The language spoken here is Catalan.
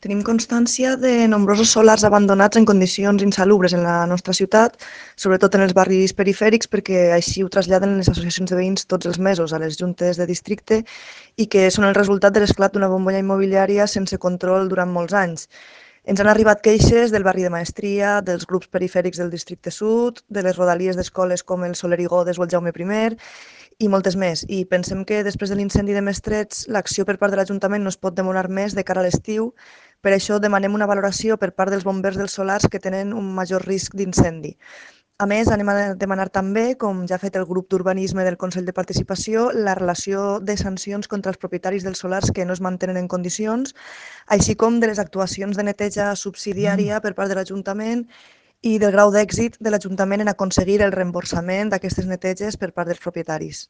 Tenim constància de nombrosos solars abandonats en condicions insalubres en la nostra ciutat, sobretot en els barris perifèrics, perquè així ho traslladen les associacions de veïns tots els mesos a les juntes de districte i que són el resultat de l'esclat d'una bombolla immobiliària sense control durant molts anys. Ens han arribat queixes del barri de Maestria, dels grups perifèrics del districte sud, de les rodalies d'escoles com el Soler i Godes o el Jaume I i moltes més. I pensem que després de l'incendi de Mestrets, l'acció per part de l'Ajuntament no es pot demorar més de cara a l'estiu. Per això demanem una valoració per part dels bombers dels solars que tenen un major risc d'incendi. A més, anem a demanar també, com ja ha fet el grup d'urbanisme del Consell de Participació, la relació de sancions contra els propietaris dels solars que no es mantenen en condicions, així com de les actuacions de neteja subsidiària per part de l'Ajuntament i del grau d'èxit de l'Ajuntament en aconseguir el reemborsament d'aquestes neteges per part dels propietaris.